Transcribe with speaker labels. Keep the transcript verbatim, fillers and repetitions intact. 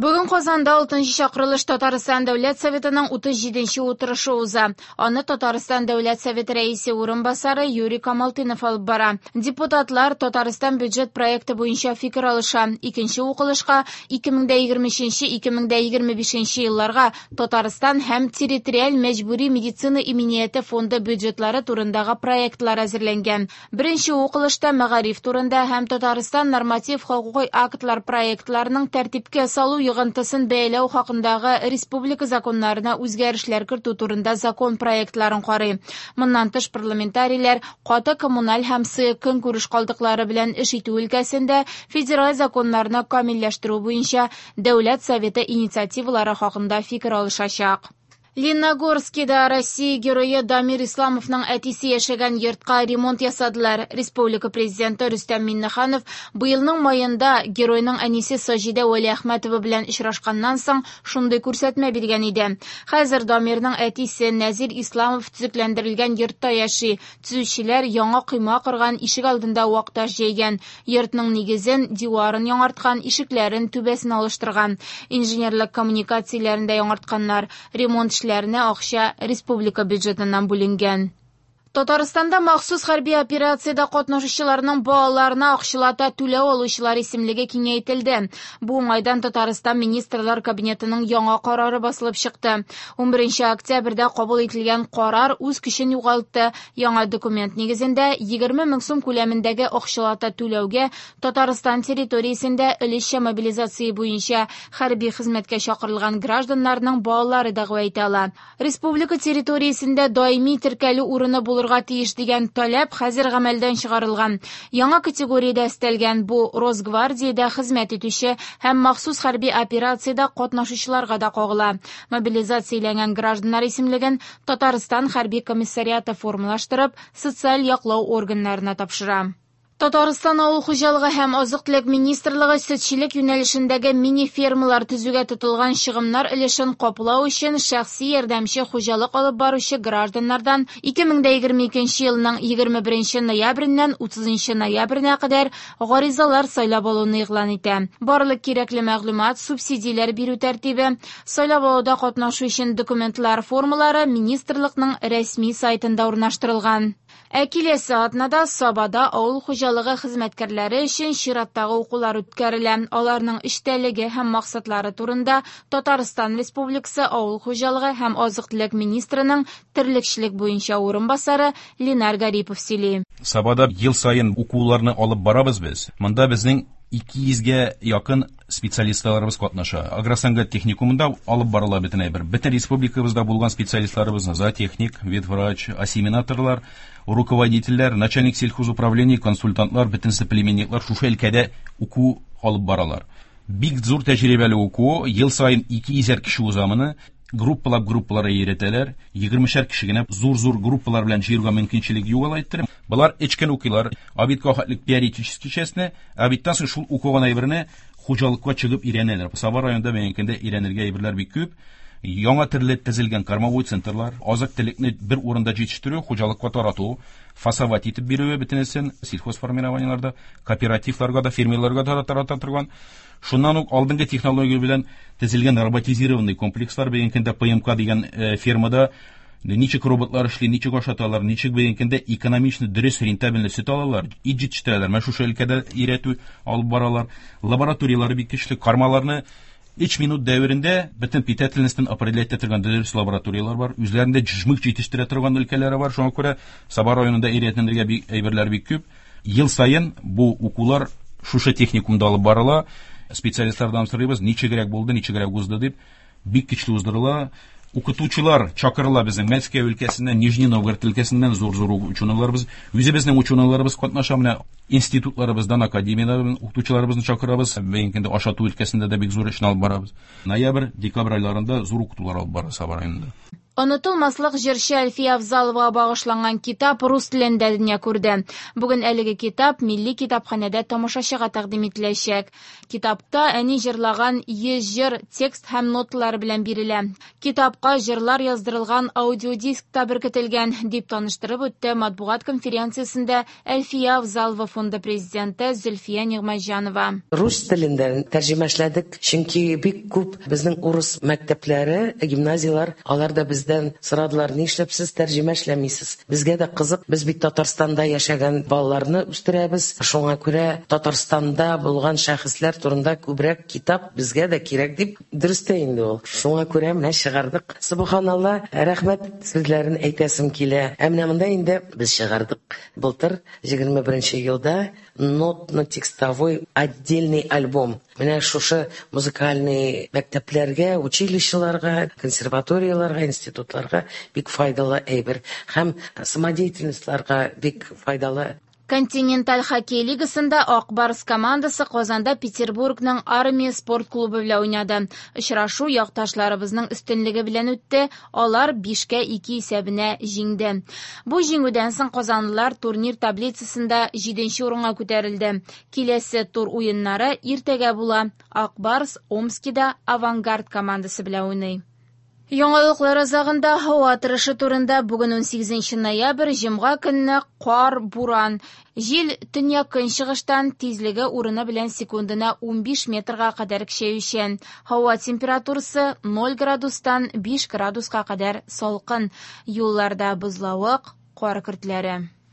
Speaker 1: Бүген Казанда алтынчы чакырылыш Татарстан Дәүләт Советының утыз җиденче утырышы уза. Аны Татарстан Дәүләт Советы рәисе урынбасары Юрий Камалтынов алып бара. Депутатлар Татарстан бюджет проекты буенча фикер алыша. Икенче укылышка ике мең дә егерме өченче, ике мең дә егерме бишенче елларга Татарстан һәм территориаль мәҗбүри медицина иминияте фонды бюджетлары турындагы проектлар әзерләнгән. Беренче укылышта мәгариф турында һәм Татарстан норматив хокукый актлар проектларының тәртипкә салу йогынтысын бәяләү хакындагы республика законнарына үзгәрешләр кертү турында закон проектларын карый. Моннан тыш парламентарийлар каты коммуналь һәм сыек көнкүреш калдыклары белән эш итү өлкәсендә федераль законнарны камилләштерү буенча Дәүләт Советы инициативалары хакында фикер алышачак. Лениногорскида Россия герое Дамир Исламовның әтисе яшәгән йортка ремонт ясадылар. Республика президенты Рөстәм Миңнеханов быелның майында геройның әнисе Саҗидә Вәлиәхмәтова белән очрашканнан соң шундый күрсәтмә биргән иде. Хәзер Дамирның әтисе Нәзир Исламов төзекләндерелгән йортта яши. Төзүчеләр яңа койма корган, ишек алдында вак таш җәйгән. Йортның нигезен, диварын яңарткан, ишекләрен, түбәсен алыштырган. Инженерлык коммуникацияләрен дә яңартканнар. Ремонт эшләренә акча республика бюджетыннан бүленгән. Татарстанда махсус хәрби операциядә катнашучыларның балаларына акчалата түләү алучылар исемлеге киңәйтелде. Бу уңайдан Татарстан Министрлар Кабинетының яңа карары басылып чыкты. Унберенче октябрьдә кабул ителгән карар үз көчен югалтты. Яңа документ нигезендә егерме мең сум күләмендәге акчалата түләүгә Татарстан территориясендә өлешчә мобилизация буенча хәрби хезмәткә чакырылган гражданнарның балалары дәгъва итә ала. Республика территориясендә даими теркәлү урыны булыр тиеш дигән таләп хәзер гамәлдән чыгарылган. Яңа категориядә өстәлгән бу Росгвардиядә хезмәт итүче һәм махсус хәрби операциядә катнашучыларга да кагыла. Мобилизацияләнгән гражданнар исемлеген Татарстан хәрби комиссариаты формалаштырып, социаль яклау органнарына тапшыра. Татарстан авыл хуҗалыгы һәм азык-төлек министрлыгы сөтчелек юнәлешендәге мини-фермалар төзүгә тотылган чыгымнар өлешен каплау өчен шәхси ярдәмче хуҗалык алып баручы гражданнардан ике мең дә егерме икенче елның егерме беренче ноябреннән утызынчы ноябренә кадәр гаризалар сайлап алуны игълан итә. Барлык кирәкле мәгълүмат, субсидияләр бирү тәртибе, сайлап алуда катнашу өчен документлар формалары министрлыкның рәсми сайтында урнаштырылган. Ә киләсе атнада Сабада авыл хуҗалыгы хезмәткәрләре өчен чираттагы укулар үткәрелә. Аларның эчтәлеге һәм максатлары турында Татарстан Республикасы авыл хуҗалыгы һәм азык-төлек министрының терлекчелек буенча урынбасары Ленар Гарипов сөйли.
Speaker 2: Сабада ел саен укуларны алып барабыз без. Монда безнең ике йөзгә якын специалистларыбыз катнаша. Агросәнәгать техникумында алып барыла бөтен әйбер. Бөтен республикабызда булган специалистларыбызны зоотехник, ветврач, осеменаторлар, руководительләр, начальник сельхозуправления, консультантлар, бөтен соплеменниклар шушы өлкәдә уку алып баралар. Бик зур тәҗрибәле уку, ел саен ике йөзәр кеше уза моны. Группалап группалар өйрәтәләр. Егермешәр кеше генә зур-зур группалар белән җыярга мөмкинчелек юк алай иттереп. Болар өч көн укыйлар. Обедка хәтлек теоретический частьне, обедтан соң шул укыган әйберне хуҗалыкка чыгып өйрәнәләр. Саба районында бәйгендә өйрәнергә әйберләр бик күп. Яңа төрле төзелгән кормовой центрлар, азык-төлекне бер урында җитештерү, хуҗалыкка тарату, фасовать итеп бирүе бөтенесен сельхозформированиеларда, кооперативларга да, фермерларга да тарата торган. Шуннан ук алдынгы технология белән төзелгән роботизированный комплекслар, бүгенге көндә П М К дигән, э, фермада ничек роботлар эшли, ничек ашаталар, ничек бүгенге көндә экономичный, дөрес, рентабельный сөт алалар, ит җитештерәләр. Менә шушы өлкәдә өйрәтү алып баралар. Лабораторияләре бик көчле, кармаларны өч минут дәверендә бөтен питательностьны определять итә торган дөрес лабораторияләр бар. Үзләрендә жмых җитештерә торган өлкәләре бар. Шуңа күрә Саба районында өйрәтелергә бик әйберләр бик күп. Ел саен бу укулар шушы техникумда алып барыла. Специалистлардан сорыйбыз, ничегрәк булды, ничегрәк узды дип, бик көчле уздырыла. Укытучылар чакырыла безнең Мәскәү өлкәсеннән, Нижний Новгород өлкәсеннән зур-зур ученыйларыбыз, үзебезнең ученыйларыбыз катнаша. Менә институтларыбыздан, академияләрдән укытучыларыбызны чакырабыз. Бүгенге көндә ашату өлкәсендә дә бик зур эшне алып барабыз. Ноябрь, декабрь айларында зур укытулар алып бара Саба районында.
Speaker 1: Онытылмаслык җырчы Әлфия Авзаловага багышланган китап рус телендә дөнья күрде. Бүген әлеге китап Милли китапханәдә тамашачыга тәкъдим ителәчәк. Китапта әни җырлаган йөз җыр текст һәм ноталары белән бирелә. Китапка җырлар яздырылган аудиодиск та беркетелгән, дип таныштырып үтте матбугат конференциясендә Әлфия Авзалова фонды президенты Зөлфия Нигъмәтҗанова.
Speaker 3: Рус телендә тәрҗемә эшләдек, чөнки бик күп безнең урыс мәктәпләре, гимназияләр, алар да бездән сорадылар, нишләп сез тәрҗемә эшләмисез? Безгә дә кызык, без бит Татарстанда яшәгән балаларны үстерәбез. Шуңа күрә Татарстанда булган шәхесләр турында күбрәк китап безгә дә кирәк дип, дөрес тә инде ул. Шуңа күрә менә чыгардык. Субханалла, рәхмәт сүзләрен әйтәсем килә. Ә менә монда инде без чыгардык былтыр егерме беренче елда нотно-текстовой отдельный альбом. Менә шушы музыкальный мәктәпләргә, училищеларга, консерваторияләргә, институтларга бик файдалы әйбер һәм самодеятельностьларга бик файдалы.
Speaker 1: Континенталь хоккей лигасында Ак Барс командасы Казанда Петербургның Армия спорт клубы белән уйнады. Очрашу якташларыбызның өстенлеге белән үтте. Алар бишкә ике исәбенә җиңде. Бу җиңүдән соң казанлылар турнир таблицасында җиденче урынга күтәрелде. Киләсе тур уеннары иртәгә була. Ак Барс Омскида Авангард командасы белән уйный. Яңалыклар азагында һава торышы турында. Бүген унсигезенче ноябрь, җомга көнне кар, буран. Җил төньяк көнчыгыштан, тизлеге урыны белән секундына унбиш метрга кадәр көчәючән. Һава температурасы ноль градустан биш градуска кадәр салкын. Юлларда бозлавык, кар көртләре.